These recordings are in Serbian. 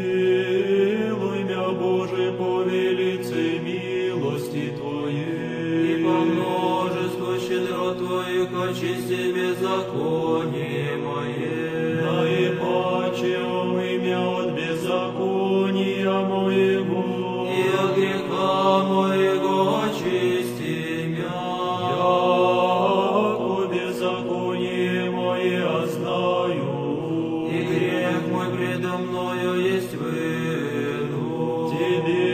Помилуй мя, Боже, по велице милости Твоей, и по множеству щедрот Твоих очисти беззаконие мое. наипаче омый мя от беззакония моего, И от греха моего очисти мя. яко беззаконие мое знаю, И грех мой предо мною есть выну. Тебе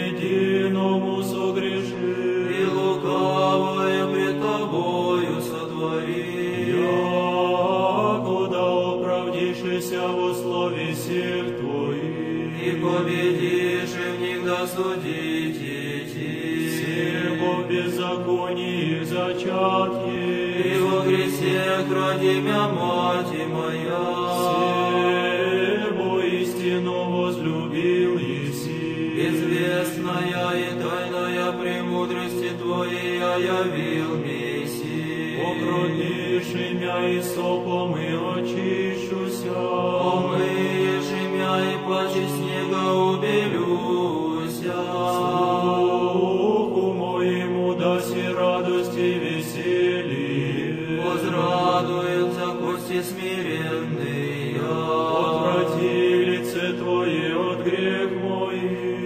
единому согреши, И лукавое пред Тобою сотвори. яко да оправдишься во слове всех Твоих, И победишь, и в них досудите идти. всего беззаконии зачатки, И во грехе ради мя мати моя. всего истину возлюбил Еси, Известная и тайная премудрости Твоей явил Месси. покропишь имя и сопом и очищуся, Помыешь имя и паче снега убелюся. слуху моему даси радость и веселье, Возрадуются кости смиренные. отврати лице Твое от грех мой,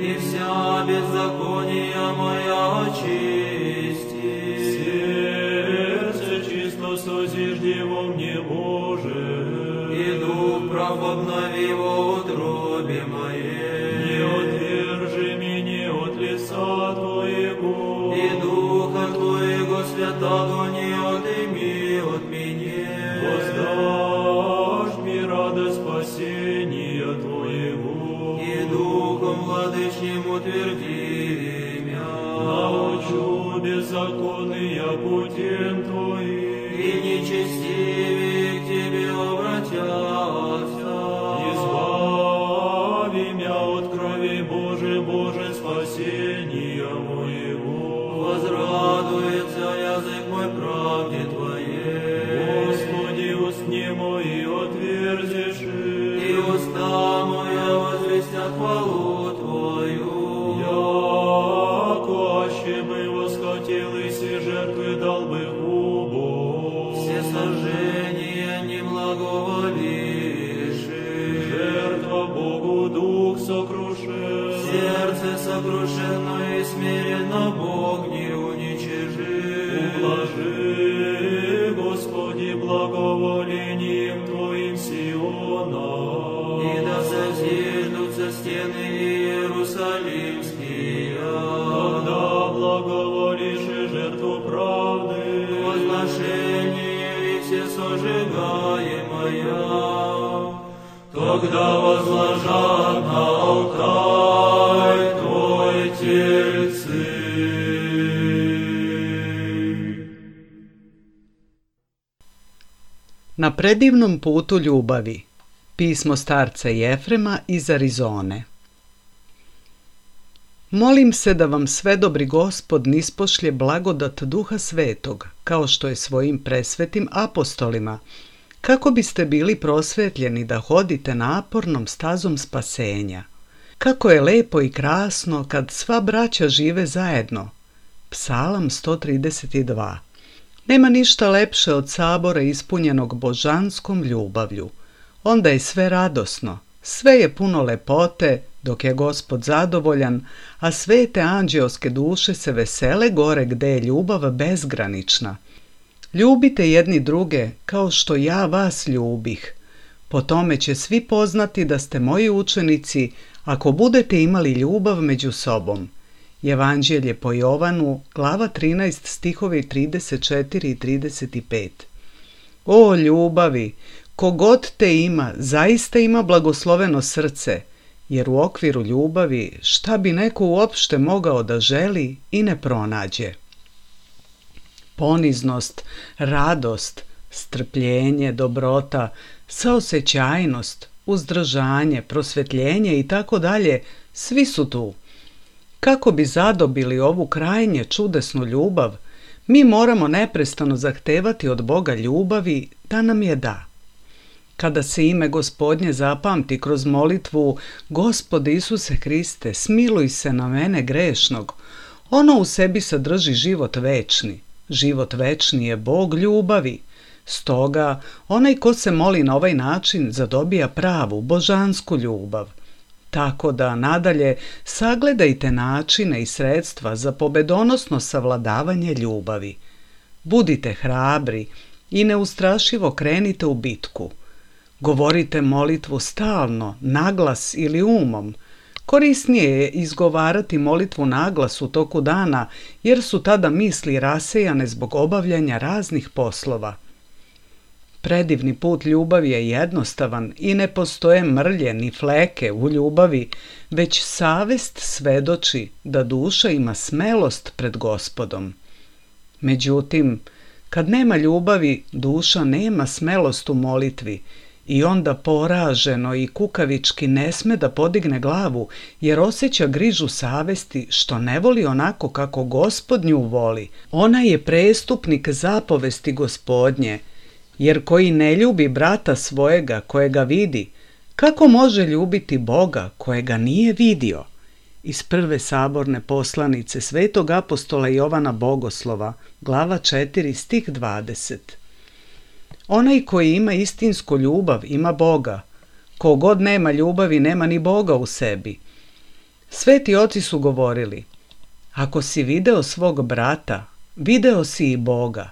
И вся беззакония моя очисти. сердце чисто созижди во мне, Боже, И дух прав обнови во утробе не моей. отвержи меня от лица Твоего, И духа Твоего святого не отыми от меня. воздашь мне радость спасения Твоего, И духом владычним утверди мя. научу беззаконные путем Твоим, И нечестивые к Тебе обратятся. избави меня от крови, Боже, Боже, спасения моего. Возрадуется язык мой правде Твоей. Господи, устни мои отверзишь, И уста моя возвестят хвалу Твою. яко аще бы восхотел и все жертвы дал бы губу. Все сожжения не благоволишь. Жертва Богу дух сокрушен, Сердце сокрушенно и смиренно Бог не уничижит. ублажи, Господи, благоволением Твоим Сиона. И да созиждутся стены Иерусалимские. Когда благоволишь и жертву правды, Возношение ли все сожигаемое, тогда возложат на алтарь Твой тельцы. Na predivnom putu ljubavi. Pismo starca Jefrema iz Arizone. Molim se da vam svedobri Gospod nispošlje blagodat Duha Svetog, kao što je svojim presvetim apostolima, kako biste bili prosvetljeni da hodite napornom stazom spasenja. Kako je lepo i krasno kad sva braća žive zajedno. Psalam 132. Nema ništa lepše od sabora ispunjenog božanskom ljubavlju. Onda je sve radosno, sve je puno lepote, dok je Gospod zadovoljan, a svete anđeoske duše se vesele gore gde je ljubav bezgranična. Ljubite jedni druge kao što ja vas ljubih. Po tome će svi poznati da ste moji učenici ako budete imali ljubav među sobom. Evanđelje po Jovanu, glava 13, stihovi 34 i 35. O ljubavi, kogod te ima, zaista ima blagosloveno srce, jer u okviru ljubavi šta bi neko uopšte mogao da želi i ne pronađe. Poniznost, radost, strpljenje, dobrota, saosećajnost, uzdržanje, prosvetljenje i tako dalje, svi su tu. Kako bi zadobili ovu krajnje čudesnu ljubav, mi moramo neprestano zahtevati od Boga ljubavi da nam je da. Kada se ime Gospodnje zapamti kroz molitvu Gospode Isuse Hriste, smiluj se na mene grešnog, ono u sebi sadrži život večni. Život večni je Bog ljubavi. Stoga, onaj ko se moli na ovaj način zadobija pravu, božansku ljubav. Tako da, nadalje, sagledajte načine i sredstva za pobedonosno savladavanje ljubavi. Budite hrabri i neustrašivo krenite u bitku. Govorite molitvu stalno, naglas ili umom. Korisnije je izgovarati molitvu naglas u toku dana, jer su tada misli rasejane zbog obavljanja raznih poslova. Predivni put ljubavi je jednostavan i ne postoje mrlje ni fleke u ljubavi, već savest svedoči da duša ima smelost pred Gospodom. Međutim, kad nema ljubavi, duša nema smelost u molitvi i onda poraženo i kukavički ne sme da podigne glavu, jer osjeća grižu savesti što ne voli onako kako Gospod nju voli. Ona je prestupnik zapovesti Gospodnje, jer koji ne ljubi brata svojega kojega vidi, kako može ljubiti Boga kojega nije vidio? Iz prve saborne poslanice svetog apostola Jovana Bogoslova, glava 4, stih 20. Onaj koji ima istinsku ljubav ima Boga. Ko god nema ljubavi nema ni Boga u sebi. Sveti oci su govorili: ako si video svog brata, video si i Boga.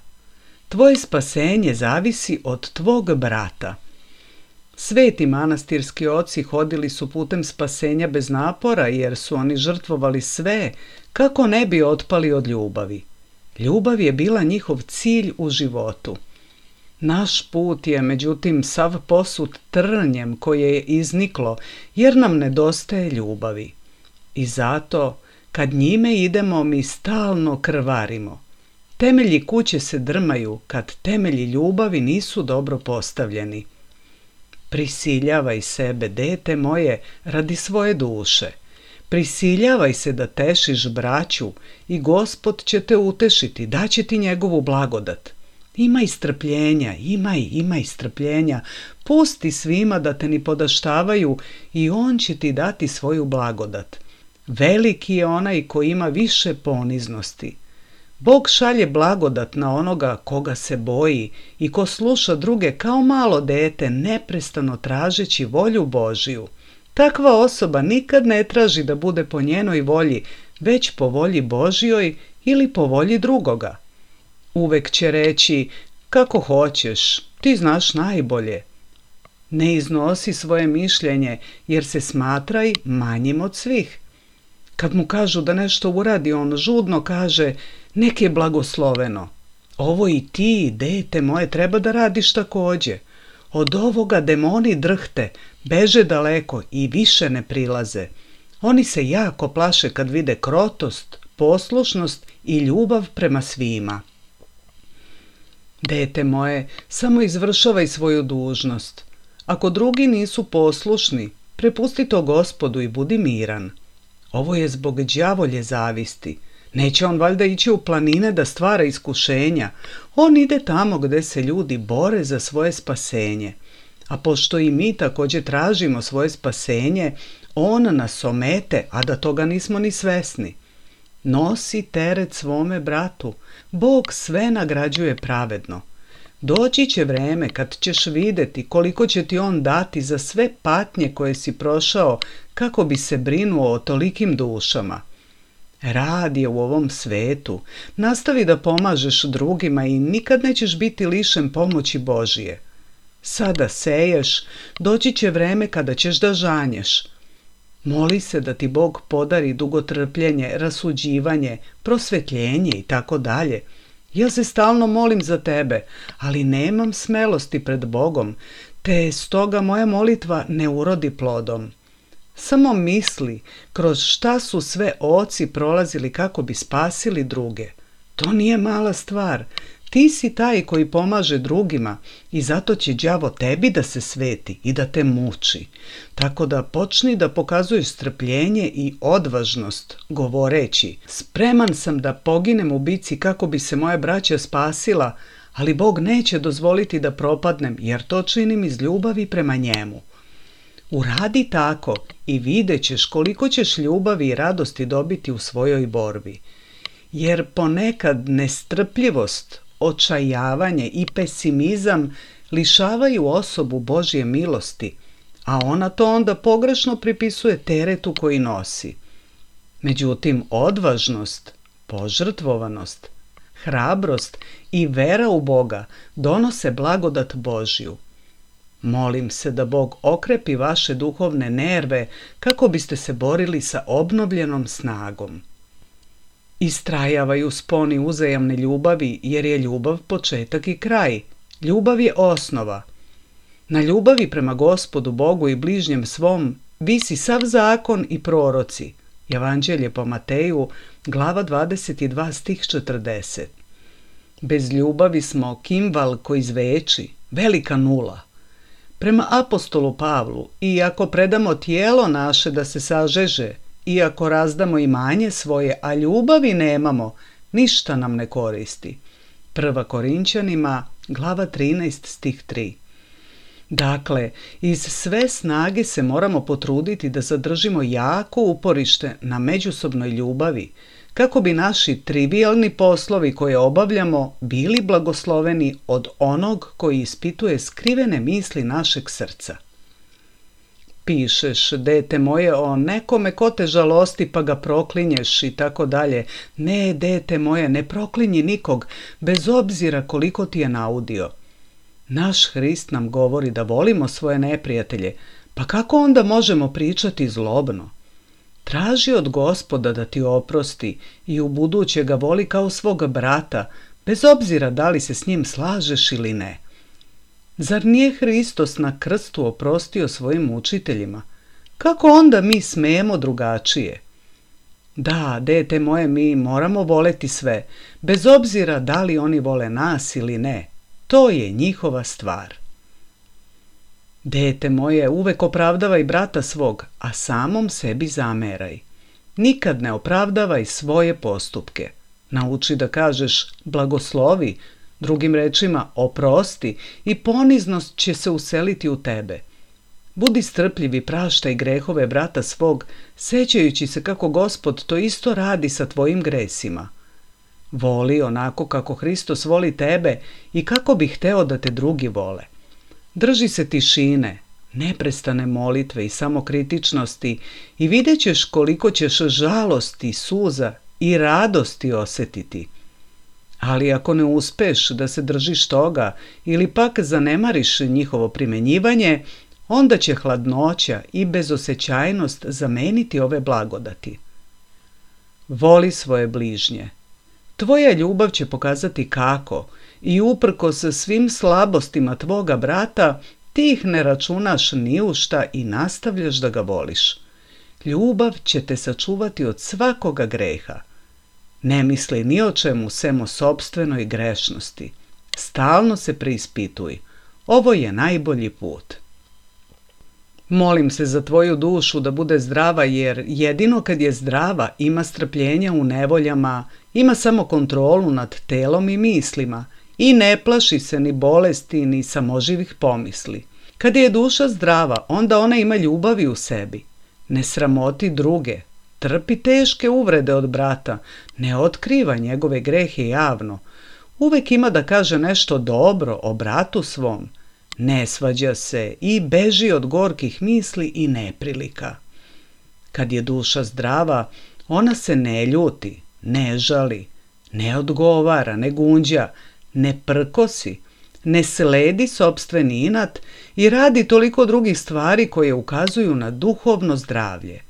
Tvoje spasenje zavisi od tvog brata. Sveti manastirski oci hodili su putem spasenja bez napora, jer su oni žrtvovali sve kako ne bi otpali od ljubavi. Ljubav je bila njihov cilj u životu. Naš put je, međutim, sav posut trnjem koje je izniklo, jer nam nedostaje ljubavi. I zato, kad njime idemo, mi stalno krvarimo. Temelji kuće se drmaju kad temelji ljubavi nisu dobro postavljeni. Prisiljavaj sebe, dete moje, radi svoje duše. Prisiljavaj se da tešiš braću i Gospod će te utešiti, daće ti njegovu blagodat. Imaj strpljenja, imaj strpljenja, pusti svima da te ni podaštavaju i on će ti dati svoju blagodat. Veliki je onaj koji ima više poniznosti. Bog šalje blagodat na onoga koga se boji i ko sluša druge kao malo dete, neprestano tražeći volju Božiju. Takva osoba nikad ne traži da bude po njenoj volji, već po volji Božjoj ili po volji drugoga. Uvek će reći: kako hoćeš, ti znaš najbolje. Ne iznosi svoje mišljenje, jer se smatraj manjim od svih. Kad mu kažu da nešto uradi, on žudno kaže: nek je blagosloveno. Ovo i ti, dete moje, treba da radiš takođe. Od ovoga demoni drhte, beže daleko i više ne prilaze. Oni se jako plaše kad vide krotost, poslušnost i ljubav prema svima. Dete moje, samo izvršavaj svoju dužnost. Ako drugi nisu poslušni, prepusti to Gospodu i budi miran. Ovo je zbog đavolje zavisti. Neće on valjda ići u planine da stvara iskušenja. On ide tamo gde se ljudi bore za svoje spasenje. A pošto i mi također tražimo svoje spasenje, on nas omete, a da toga nismo ni svesni. Nosi teret svome bratu. Bog sve nagrađuje pravedno. Doći će vreme kad ćeš vidjeti koliko će ti on dati za sve patnje koje si prošao kako bi se brinuo o tolikim dušama. Rad je u ovom svetu. Nastavi da pomažeš drugima i nikad nećeš biti lišen pomoći Božije. Sada seješ, doći će vreme kada ćeš da žanješ. Moli se da ti Bog podari dugotrpljenje, rasuđivanje, prosvetljenje i tako dalje. Ja se stalno molim za tebe, ali nemam smelosti pred Bogom, te stoga moja molitva ne urodi plodom. Samo misli kroz šta su sve oci prolazili kako bi spasili druge. To nije mala stvar. Ti si taj koji pomaže drugima i zato će đavo tebi da se sveti i da te muči. Tako da počni da pokazuješ strpljenje i odvažnost, govoreći: spreman sam da poginem u bici kako bi se moja braća spasila, ali Bog neće dozvoliti da propadnem jer to činim iz ljubavi prema njemu. Uradi tako i vidjet ćeš koliko ćeš ljubavi i radosti dobiti u svojoj borbi. Jer ponekad nestrpljivost, očajavanje i pesimizam lišavaju osobu Božje milosti, a ona to onda pogrešno pripisuje teretu koji nosi. Međutim, odvažnost, požrtvovanost, hrabrost i vera u Boga donose blagodat Božju. Molim se da Bog okrepi vaše duhovne nerve kako biste se borili sa obnovljenom snagom. Istrajavaj u sponi uzajamne ljubavi jer je ljubav početak i kraj. Ljubav je osnova. Na ljubavi prema Gospodu Bogu i bližnjem svom visi sav zakon i proroci. Evanđelje po Mateju, glava 22, stih 40. Bez ljubavi smo kimval koji zveči, velika nula. Prema apostolu Pavlu, iako predamo tijelo naše da se sažeže, iako razdamo imanje svoje, a ljubavi nemamo, ništa nam ne koristi. 1. Korinćanima, glava 13, stih 3. Dakle, iz sve snage se moramo potruditi da zadržimo jako uporište na međusobnoj ljubavi, kako bi naši trivijalni poslovi koje obavljamo bili blagosloveni od onog koji ispituje skrivene misli našeg srca. Pišeš, dete moje, o nekome ko te žalosti pa ga proklinješ i tako dalje. Ne, dete moje, ne proklinji nikog, bez obzira koliko ti je naudio. Naš Hrist nam govori da volimo svoje neprijatelje, pa kako onda možemo pričati zlobno? Traži od Gospoda da ti oprosti i ubuduće ga voli kao svoga brata, bez obzira da li se s njim slažeš ili ne. Zar nije Hristos na krstu oprostio svojim učiteljima? Kako onda mi smijemo drugačije? Da, dete moje, mi moramo voleti sve, bez obzira da li oni vole nas ili ne. To je njihova stvar. Dete moje, uvek opravdavaj brata svog, a samom sebi zameraj. Nikad ne opravdavaj svoje postupke. Nauči da kažeš blagoslovi, drugim rečima oprosti i poniznost će se useliti u tebe. Budi strpljiv i praštaj grehove brata svog, sećajući se kako Gospod to isto radi sa tvojim gresima. Voli onako kako Hristos voli tebe i kako bi hteo da te drugi vole. Drži se tišine, neprestane molitve i samokritičnosti i vidjet ćeš koliko ćeš žalosti, suza i radosti osjetiti. Ali ako ne uspeš da se držiš toga ili pak zanemariš njihovo primenjivanje, onda će hladnoća i bezosećajnost zameniti ove blagodati. Voli svoje bližnje. Tvoja ljubav će pokazati kako i uprkos svim slabostima tvoga brata ti ih ne računaš ni u šta i nastavljaš da ga voliš. Ljubav će te sačuvati od svakoga greha. Ne misli ni o čemu sem o sopstvenoj grešnosti. Stalno se preispituj. Ovo je najbolji put. Molim se za tvoju dušu da bude zdrava, jer jedino kad je zdrava ima strpljenja u nevoljama, ima samo kontrolu nad telom i mislima i ne plaši se ni bolesti ni samoživih pomisli. Kad je duša zdrava, onda ona ima ljubavi u sebi. Ne sramoti druge, trpi teške uvrede od brata, ne otkriva njegove grehe javno. Uvek ima da kaže nešto dobro o bratu svom. Ne svađa se i beži od gorkih misli i neprilika. Kad je duša zdrava, ona se ne ljuti, ne žali, ne odgovara, ne gunđa, ne prkosi, ne sledi sopstveni inat i radi toliko drugih stvari koje ukazuju na duhovno zdravlje.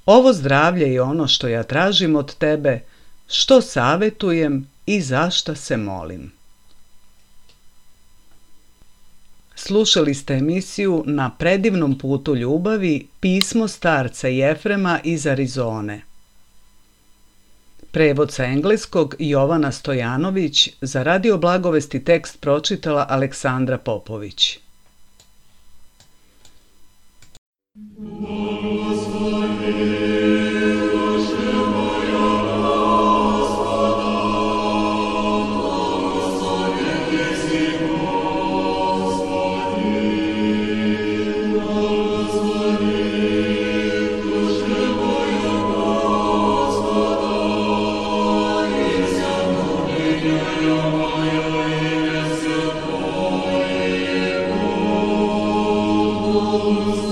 Ovo zdravlje je ono što ja tražim od tebe, što savetujem i za šta se molim. Slušali ste emisiju Na predivnom putu ljubavi, pismo starca Jefrema iz Arizone. Prevod sa engleskog Jovana Stojanović, za Radio Blagovesti tekst pročitala Aleksandra Popović. Isus.